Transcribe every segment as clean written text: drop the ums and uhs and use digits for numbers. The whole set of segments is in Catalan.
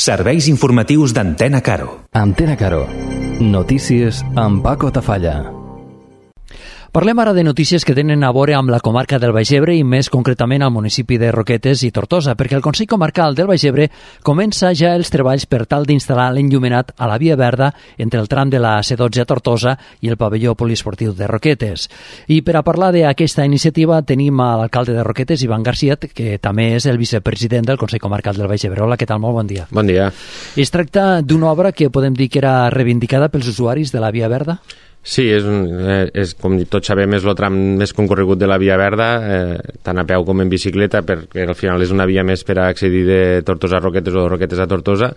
Serveis informatius d'Antena Caro. Antena Caro. Notícies amb Paco Tafalla. Parlem ara de notícies que tenen a veure amb la comarca del Baix Ebre i més concretament al municipi de Roquetes i Tortosa, perquè el Consell Comarcal del Baix Ebre comença ja els treballs per tal d'instal·lar l'enllumenat a la Via Verda entre el tram de la C12 a Tortosa i el pavelló poliesportiu de Roquetes. I per a parlar d'aquesta iniciativa tenim a l'alcalde de Roquetes, Ivan García, que també és el vicepresident del Consell Comarcal del Baix Ebre. Hola, què tal? Molt bon dia. Bon dia. Es tracta d'una obra que podem dir que era reivindicada pels usuaris de la Via Verda? Sí, és com tots sabem, és el tram més concorregut de la Via Verda, tant a peu com en bicicleta, perquè al final és una via més per a accedir de Tortosa a Roquetes o de Roquetes a Tortosa,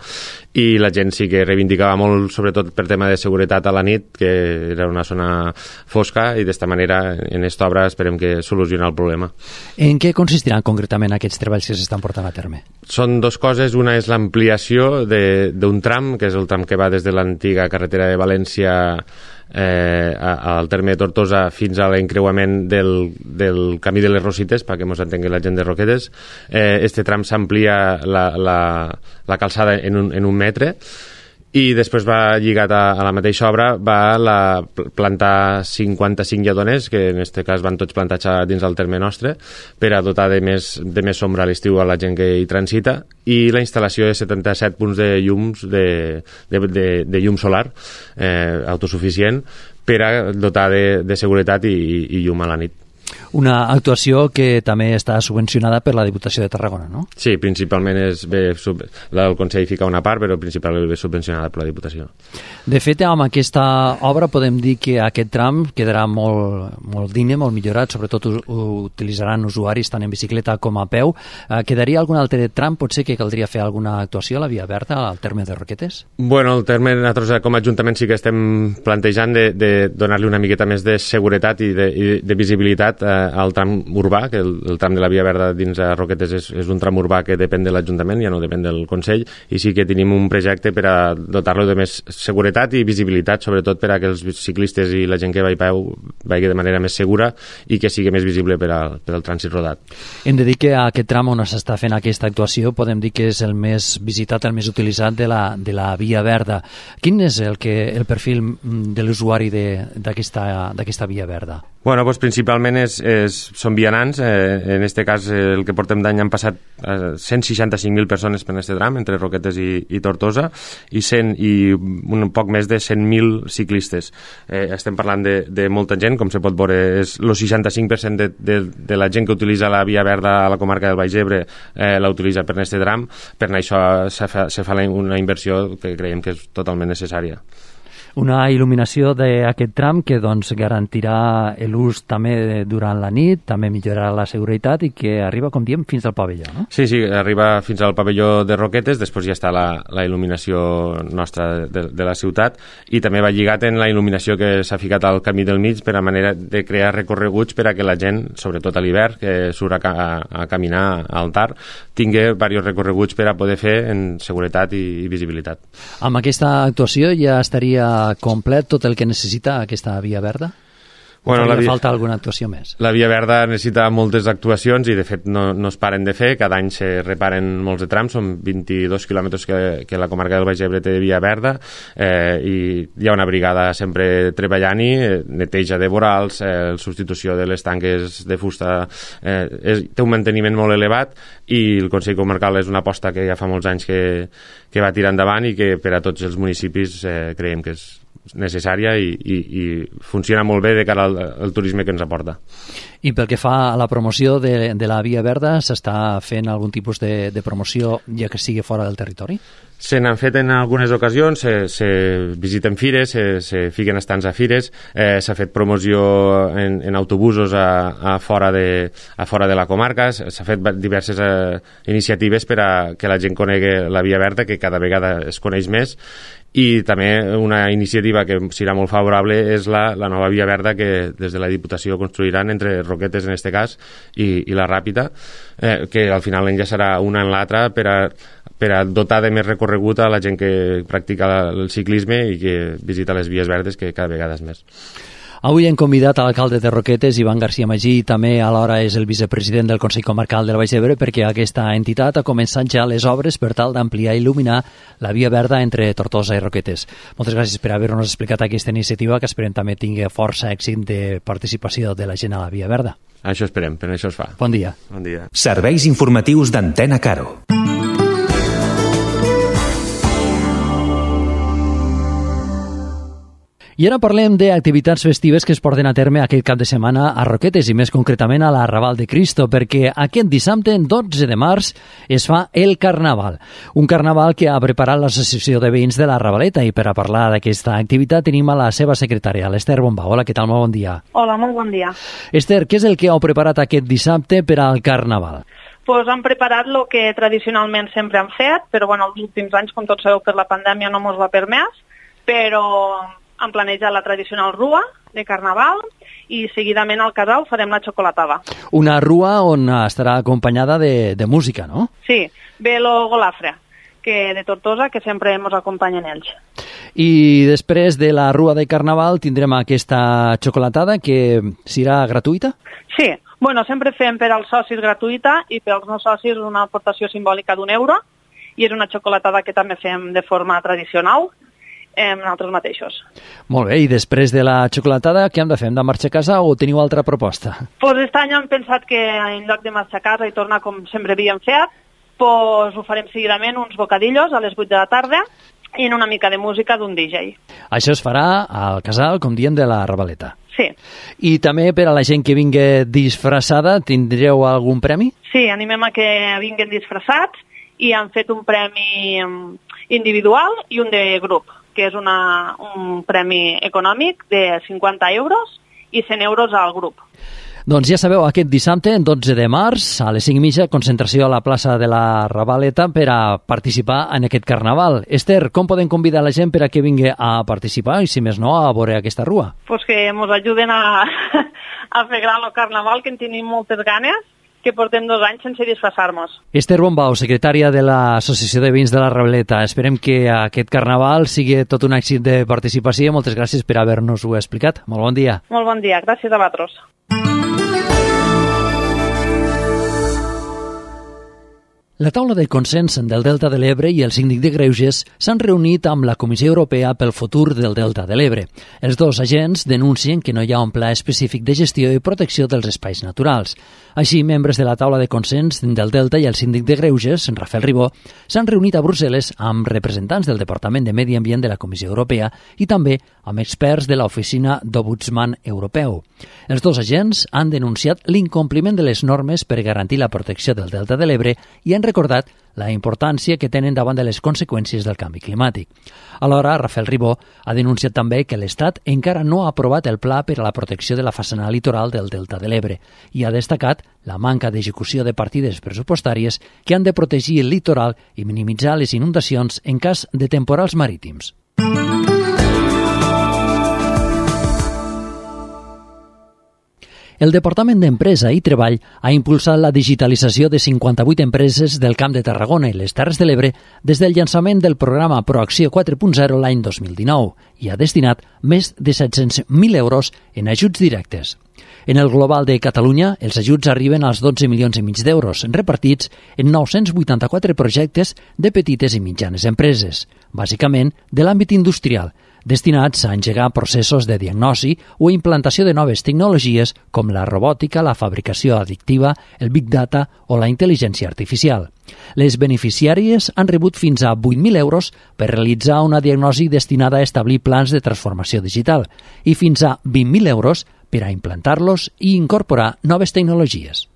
i la gent sí que reivindicava molt, sobretot per tema de seguretat a la nit, que era una zona fosca, i d'esta manera en aquesta obra esperem que solucioni el problema. En què consistiran concretament aquests treballs que s'estan portant a terme? Són dues coses. Una és l'ampliació d'un tram, que és el tram que va des de l'antiga carretera de València al terme de Tortosa fins a l'encreuament del camí de les Rosites, perquè ens entengui la gent de Roquetes. Este tram s'amplia la calçada en un metre, i després va lligat a la mateixa obra, va plantar 55 lledones, que en aquest cas van tots plantats dins del terme nostre, per a dotar de més sombra a l'estiu a la gent que hi transita, i la instal·lació de 77 punts de llums de llum solar autosuficient per a dotar de seguretat i llum a la nit. Una actuació que també està subvencionada per la Diputació de Tarragona, no? Sí, principalment el Consell fica una part, però principalment ve subvencionada per la Diputació. De fet, amb aquesta obra podem dir que aquest tram quedarà molt digne, molt millorat, sobretot utilitzaran usuaris tant en bicicleta com a peu. Quedaria algun altre tram? Potser que caldria fer alguna actuació a la Via Verda, al terme de Roquetes? Bueno, el terme, nosaltres com a Ajuntament sí que estem plantejant de donar-li una miqueta més de seguretat i de visibilitat al tram urbà, que el tram de la Via Verda dins de Roquetes és un tram urbà que depèn de l'Ajuntament, ja no depèn del Consell, i sí que tenim un projecte per a dotar-lo de més seguretat i visibilitat, sobretot per a que els ciclistes i la gent que va a peu vagi de manera més segura i que sigui més visible per al trànsit rodat. Hem de dir que aquest tram on s'està fent aquesta actuació podem dir que és el més visitat, el més utilitzat de la Via Verda. Quin és el perfil de l'usuari d'aquesta Via Verda? Bueno, doncs principalment són vianants. En aquest cas, el que portem d'any han passat 165.000 persones per aquest tram, entre Roquetes i Tortosa, i un poc més de 100.000 ciclistes. Estem parlant de molta gent, com se pot veure, és el 65% de la gent que utilitza la Via Verda a la comarca del Baix Ebre la utilitza per aquest tram. Per això se fa una inversió que creiem que és totalment necessària. Una il·luminació d'aquest tram que garantirà l'ús també durant la nit, també millorarà la seguretat i que arriba, com diem, fins al pavelló, no? Sí, arriba fins al pavelló de Roquetes, després ja està la il·luminació nostra de la ciutat, i també va lligat en la il·luminació que s'ha ficat al camí del mig per a manera de crear recorreguts per a que la gent, sobretot a l'hivern, que surt a caminar al Tar, tingui diversos recorreguts per a poder fer en seguretat i visibilitat. Amb aquesta actuació ja estaria complet tot el que necessita aquesta Via Verda? Bueno, falta alguna actuació més? La Via Verda necessita moltes actuacions i de fet no es paren de fer. Cada any se reparen molts de trams, són 22 quilòmetres que la comarca del Baix Ebre té de Via Verda, i hi ha una brigada sempre treballant-hi, neteja de vorals, substitució de les tanques de fusta, té un manteniment molt elevat, i el Consell Comarcal és una aposta que ja fa molts anys que va tirar endavant i que per a tots els municipis creiem que és necessària i funciona molt bé de cara al turisme que ens aporta. I pel que fa a la promoció de la Via Verda, s'està fent algun tipus de promoció ja que sigui fora del territori? Se n'han fet en algunes ocasions, se visiten fires, se fiquen estants a fires, s'ha fet promoció en autobusos a fora de la comarca, s'ha fet diverses iniciatives per a que la gent conegui la Via Verda, que cada vegada es coneix més, i també una iniciativa que serà molt favorable és la nova Via Verda que des de la Diputació construiran entre Roquetes, en aquest cas, i la Ràpita, que al final enllaçarà una en l'altra per a dotar de més recorregut a la gent que practica el ciclisme i que visita les vies verdes, que cada vegada és més. Avui hem convidat a l'alcalde de Roquetes, Ivan García Magí, i també alhora és el vicepresident del Consell Comarcal del Baix Ebre, perquè aquesta entitat ha començat ja les obres per tal d'ampliar i il·luminar la via verda entre Tortosa i Roquetes. Moltes gràcies per haver-nos explicat aquesta iniciativa, que esperem també tingui força èxit de participació de la gent a la via verda. Això esperem, per això es fa. Bon dia. Bon dia. Serveis informatius d'Antena Caro. I ara parlem d'activitats festives que es porten a terme aquest cap de setmana a Roquetes i més concretament a la Raval de Cristo, perquè aquest dissabte, 12 de març, es fa el Carnaval. Un carnaval que ha preparat l'Associació de Veïns de la Ravaleta, i per a parlar d'aquesta activitat tenim a la seva secretària, l'Ester Bombau. Hola, què tal? Molt bon dia. Hola, molt bon dia. Esther, què és el que heu preparat aquest dissabte per al Carnaval? Pues han preparat el que tradicionalment sempre han fet, però bueno, els últims anys, com tots sabeu, per la pandèmia no mos va permès, però han planejat la tradicional rua de Carnaval i seguidament al casal farem la xocolatada. Una rua on estarà acompanyada de música, no? Sí, ve el Golafre, que de Tortosa, que sempre ens acompanyen ells. I després de la rua de Carnaval tindrem aquesta xocolatada que serà gratuïta? Sí, bueno, sempre fem per als socis gratuïta i per als no socis una aportació simbòlica d'€1 i és una xocolatada que també fem de forma tradicional nosaltres mateixos. Molt bé, i després de la xocolatada, què hem de fer? Hem de marxar a casa o teniu altra proposta? Pues aquest any hem pensat que en lloc de marxar a casa i tornar com sempre havíem fet, pues ho farem seguidament uns bocadillos a les 8 de la tarda i en una mica de música d'un DJ. Això es farà al casal, com diem, de la Ravaleta. Sí. I també per a la gent que vingui disfressada, tindreu algun premi? Sí, animem a que vinguin disfressats i han fet un premi individual i un de grup, que és un premi econòmic de €50 i €100 al grup. Doncs ja sabeu, aquest dissabte, 12 de març, a les 5:30, concentració a la plaça de la Ravaleta per a participar en aquest carnaval. Esther, com podem convidar la gent per a que vingui a participar i, si més no, a veure aquesta rua? Pues que ens ajuden a fer gran el carnaval, que en tenim moltes ganes, que portem 2 anys sense disfressar-nos. Esther Bombau, secretària de l'Associació de Veïns de la Ravaleta. Esperem que aquest carnaval sigui tot un èxit de participació. Moltes gràcies per haver-nos-ho explicat. Molt bon dia. Molt bon dia. Gràcies a vosaltres. La taula de consens del Delta de l'Ebre i el síndic de Greuges s'han reunit amb la Comissió Europea pel futur del Delta de l'Ebre. Els dos agents denuncien que no hi ha un pla específic de gestió i protecció dels espais naturals. Així, membres de la taula de consens del Delta i el síndic de Greuges, Rafael Ribó, s'han reunit a Brussel·les amb representants del Departament de Medi Ambient de la Comissió Europea i també amb experts de l'Oficina d'Ombudsman Europeu. Els dos agents han denunciat l'incompliment de les normes per garantir la protecció del Delta de l'Ebre i han recordat la importància que tenen davant de les conseqüències del canvi climàtic. Alhora, Rafael Ribó ha denunciat també que l'Estat encara no ha aprovat el pla per a la protecció de la façana litoral del Delta de l'Ebre i ha destacat la manca d'execució de partides pressupostàries que han de protegir el litoral i minimitzar les inundacions en cas de temporals marítims. El Departament d'Empresa i Treball ha impulsat la digitalització de 58 empreses del Camp de Tarragona i les Terres de l'Ebre des del llançament del programa Proacció 4.0 l'any 2019 i ha destinat més de 700.000 euros en ajuts directes. En el global de Catalunya, els ajuts arriben als 12,5 milions d'euros, repartits en 984 projectes de petites i mitjanes empreses, bàsicament de l'àmbit industrial, destinats a engegar processos de diagnosi o implantació de noves tecnologies com la robòtica, la fabricació additiva, el Big Data o la intel·ligència artificial. Les beneficiàries han rebut fins a 8.000 euros per realitzar una diagnosi destinada a establir plans de transformació digital i fins a 20.000 euros per a implantar-los i incorporar noves tecnologies.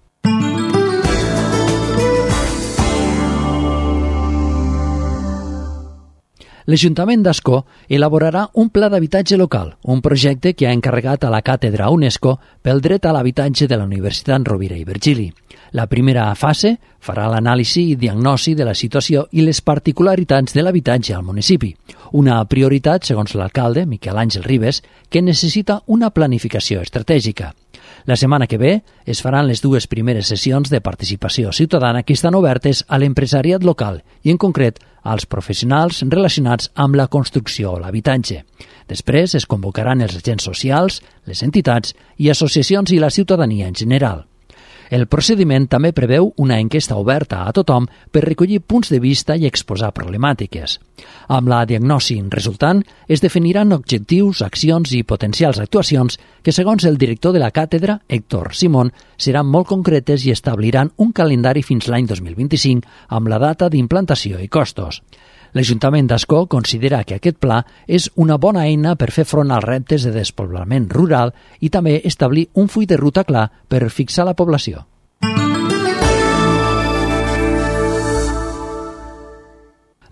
L'Ajuntament d'Ascó elaborarà un pla d'habitatge local, un projecte que ha encarregat a la Càtedra UNESCO pel dret a l'habitatge de la Universitat Rovira i Virgili. La primera fase farà l'anàlisi i diagnosi de la situació i les particularitats de l'habitatge al municipi. Una prioritat, segons l'alcalde, Miquel Àngel Ribes, que necessita una planificació estratègica. La setmana que ve es faran les 2 primeres sessions de participació ciutadana que estan obertes a l'empresariat local i, en concret, als professionals relacionats amb la construcció o l'habitatge. Després es convocaran els agents socials, les entitats i associacions i la ciutadania en general. El procediment també preveu una enquesta oberta a tothom per recollir punts de vista i exposar problemàtiques. Amb la diagnosi resultant es definiran objectius, accions i potencials actuacions que, segons el director de la càtedra, Héctor Simón, seran molt concretes i establiran un calendari fins l'any 2025 amb la data d'implantació i costos. L'Ajuntament d'Ascó considera que aquest pla és una bona eina per fer front als reptes de despoblament rural i també establir un full de ruta clar per fixar la població.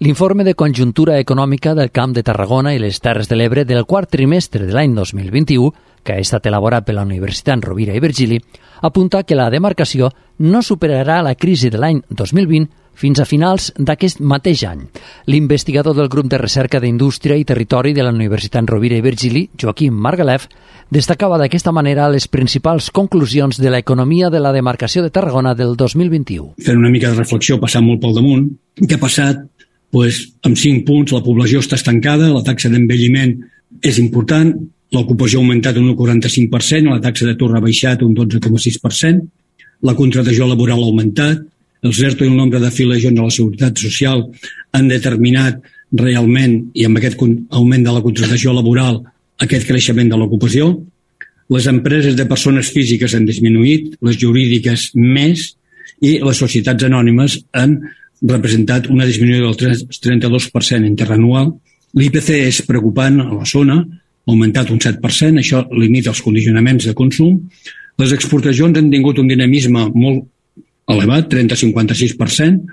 L'informe de conjuntura econòmica del Camp de Tarragona i les Terres de l'Ebre del quart trimestre de l'any 2021, que ha estat elaborat per la Universitat Rovira i Virgili, apunta que la demarcació no superarà la crisi de l'any 2020 fins a finals d'aquest mateix any. L'investigador del grup de recerca d'Indústria i Territori de la Universitat Rovira i Virgili, Joaquim Margalef, destacava d'aquesta manera les principals conclusions de l'economia de la demarcació de Tarragona del 2021. Fent una mica de reflexió, passant molt pel damunt, què ha passat? Amb 5 punts la població està estancada, la taxa d'envelliment és important, l'ocupació ha augmentat un 1,45%, la taxa d'atur ha baixat un 12,6%, la contractació laboral ha augmentat, els ERTO i el nombre d'afiliacions a la Seguretat Social han determinat realment, i amb aquest augment de la contractació laboral, aquest creixement de l'ocupació. Les empreses de persones físiques han disminuït, les jurídiques més, i les societats anònimes han representat una disminució del 32% interanual. L'IPC és preocupant a la zona, ha augmentat un 7%, això limita els condicionaments de consum. Les exportacions han tingut un dinamisme molt elevat, 30-56%,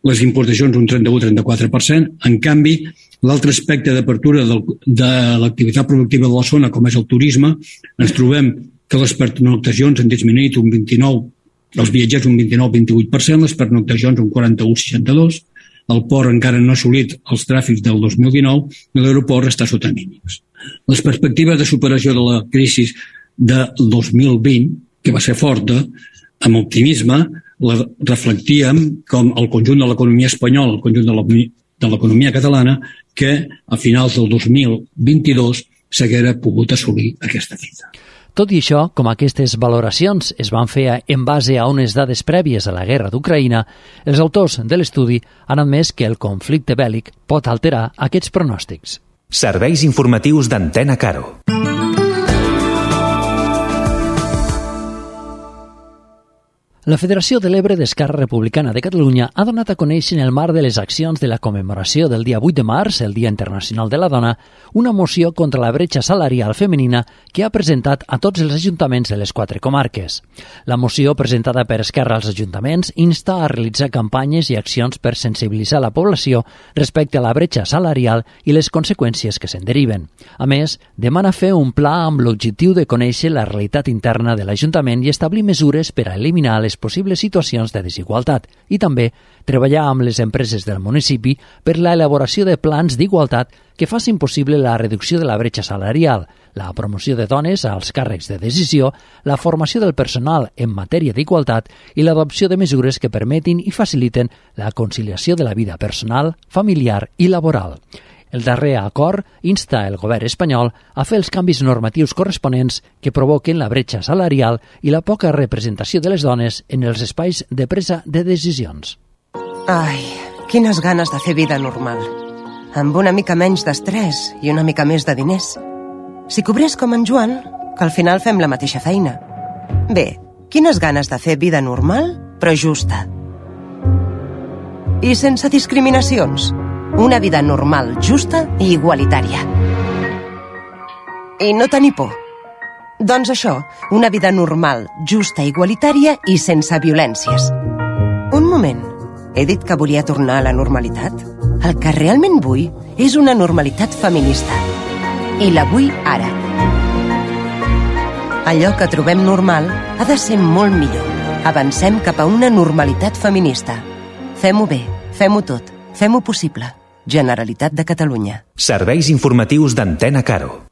les importacions un 31-34%. En canvi, l'altre aspecte d'apertura de l'activitat productiva de la zona, com és el turisme, ens trobem que les pernoctacions han disminuït un 29%, els viatgers un 29-28%, les pernoctacions un 41-62%, el port encara no ha assolit els tràfics del 2019 i l'aeroport està sota mínims. Les perspectives de superació de la crisi del 2020, que va ser forta, amb optimisme, la reflectíem com el conjunt de l'economia espanyola, el conjunt de l'economia catalana, que a finals del 2022 s'haguera pogut assolir aquesta fita. Tot i això, com aquestes valoracions es van fer en base a unes dades prèvies a la guerra d'Ucraïna, els autors de l'estudi han admès que el conflicte bèl·lic pot alterar aquests pronòstics. Serveis informatius d'Antena Caro. La Federació de l'Ebre d'Esquerra Republicana de Catalunya ha donat a conèixer en el marc de les accions de la commemoració del dia 8 de març, el Dia Internacional de la Dona, una moció contra la bretxa salarial femenina que ha presentat a tots els ajuntaments de les 4 comarques. La moció presentada per Esquerra als ajuntaments insta a realitzar campanyes i accions per sensibilitzar la població respecte a la bretxa salarial i les conseqüències que se'n deriven. A més, demana fer un pla amb l'objectiu de conèixer la realitat interna de l'Ajuntament i establir mesures per a eliminar les possibles situacions de desigualtat i també treballar amb les empreses del municipi per la elaboració de plans d'igualtat que facin possible la reducció de la bretxa salarial, la promoció de dones als càrrecs de decisió, la formació del personal en matèria d'igualtat i l'adopció de mesures que permetin i faciliten la conciliació de la vida personal, familiar i laboral. El darrer acord insta el govern espanyol a fer els canvis normatius corresponents que provoquen la bretxa salarial i la poca representació de les dones en els espais de presa de decisions. Ai, quines ganes de fer vida normal. Amb una mica menys d'estrès i una mica més de diners. Si cobrés com en Joan, que al final fem la mateixa feina. Bé, quines ganes de fer vida normal, però justa. I sense discriminacions. Una vida normal, justa i igualitària. I no tenir por. Doncs això, una vida normal, justa, igualitària i sense violències. Un moment, he dit que volia tornar a la normalitat? El que realment vull és una normalitat feminista. I la vull ara. Allò que trobem normal ha de ser molt millor. Avancem cap a una normalitat feminista. Fem-ho bé, fem-ho tot, fem-ho possible. Generalitat de Catalunya. Serveis informatius d'Antena Caro.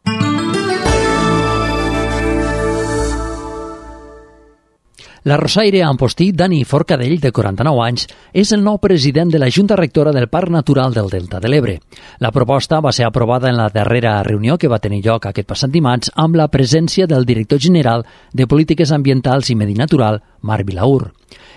La rosaire Amposti, Dani Forcadell, de 49 anys, és el nou president de la Junta Rectora del Parc Natural del Delta de l'Ebre. La proposta va ser aprovada en la darrera reunió que va tenir lloc aquest passat dimarts amb la presència del director general de Polítiques Ambientals i Medi Natural, Marc Vilaur.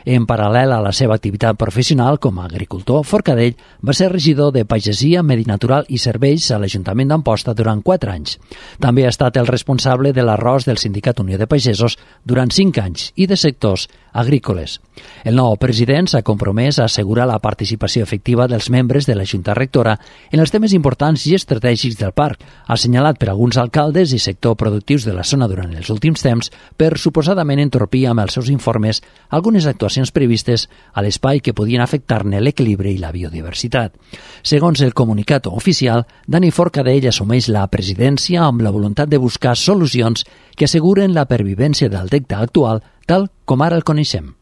En paral·lel a la seva activitat professional com a agricultor, Forcadell va ser regidor de Pagesia, Medi Natural i Serveis a l'Ajuntament d'Amposta durant 4 anys. També ha estat el responsable de l'arròs del Sindicat Unió de Pagesos durant 5 anys i de sectors agrícoles. El nou president s'ha compromès a assegurar la participació efectiva dels membres de la Junta Rectora en els temes importants i estratègics del parc, assenyalat per alguns alcaldes i sector productius de la zona durant els últims temps per suposadament entorpir amb els seus informes algunes actuacions previstes a l'espai que podien afectar-ne l'equilibri i la biodiversitat. Segons el comunicat oficial, Dani Forcadell assumeix la presidència amb la voluntat de buscar solucions que asseguren la pervivència del delta actual tal com ara el coneixem.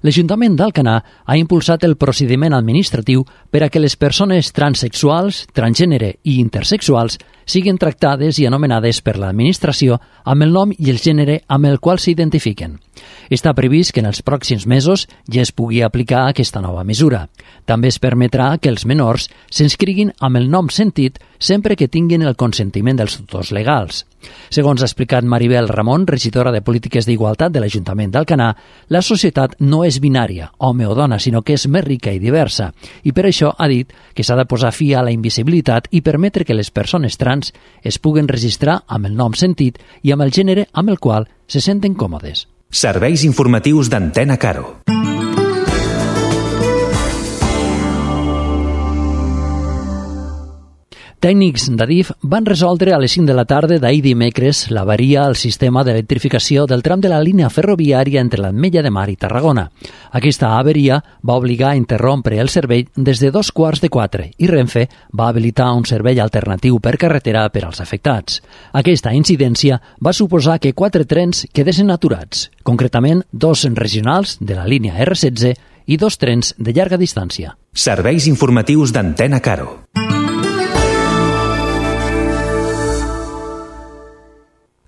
L'Ajuntament d'Alcanar ha impulsat el procediment administratiu per a que les persones transsexuals, transgènere i intersexuals siguin tractades i anomenades per l'administració amb el nom i el gènere amb el qual s'identifiquen. Està previst que en els pròxims mesos ja es pugui aplicar aquesta nova mesura. També es permetrà que els menors s'inscriguin amb el nom sentit sempre que tinguin el consentiment dels tutors legals. Segons ha explicat Maribel Ramon, regidora de Polítiques d'Igualtat de l'Ajuntament d'Alcanar, la societat no és binària, home o dona, sinó que és més rica i diversa. I per això ha dit que s'ha de posar fi a la invisibilitat i permetre que les persones trans es puguen registrar amb el nom sentit i amb el gènere amb el qual se senten còmodes. Serveis informatius d'Antena Caro. Tècnics d'Adif van resoldre a les 5 de la tarda d'ahir dimecres l'avaria al sistema d'electrificació del tram de la línia ferroviària entre l'Ametlla de Mar i Tarragona. Aquesta avaria va obligar a interrompre el servei des de 3:45 i Renfe va habilitar un servei alternatiu per carretera per als afectats. Aquesta incidència va suposar que 4 trens quedessin aturats, concretament 2 regionals de la línia R16 i 2 trens de llarga distància. Serveis informatius d'Antena Caro.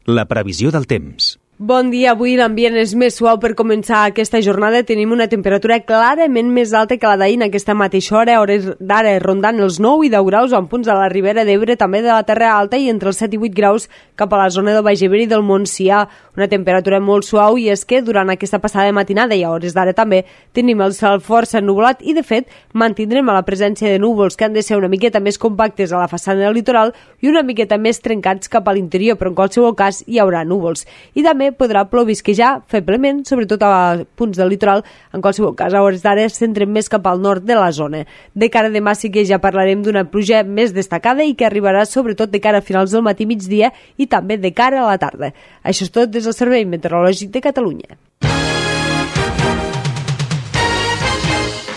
La previsió del temps. Bon dia, avui l'ambient és més suau per començar aquesta jornada. Tenim una temperatura clarament més alta que la d'ahir en aquesta mateixa hora, hores d'ara rondant els 9 i 10 graus en punts de la Ribera d'Ebre, també de la Terra Alta, i entre els 7 i 8 graus cap a la zona del Baix Ebre i del Montsià. Una temperatura molt suau, i és que durant aquesta passada matinada i a hores d'ara també tenim el cel força ennuvolat i de fet mantindrem la presència de núvols que han de ser una miqueta més compactes a la façana del litoral i una miqueta més trencats cap a l'interior, però en qualsevol cas hi haurà núvols. I també podrà plovisquejar feblement, sobretot a punts del litoral. En qualsevol cas, a hores d'ara centrem més cap al nord de la zona. De cara a demà sí que ja parlarem d'una pluja més destacada i que arribarà sobretot de cara a finals del matí, migdia i també de cara a la tarda. Això és tot des del Servei Meteorològic de Catalunya.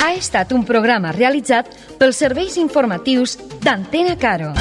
Ha estat un programa realitzat pels serveis informatius d'Antena Caro.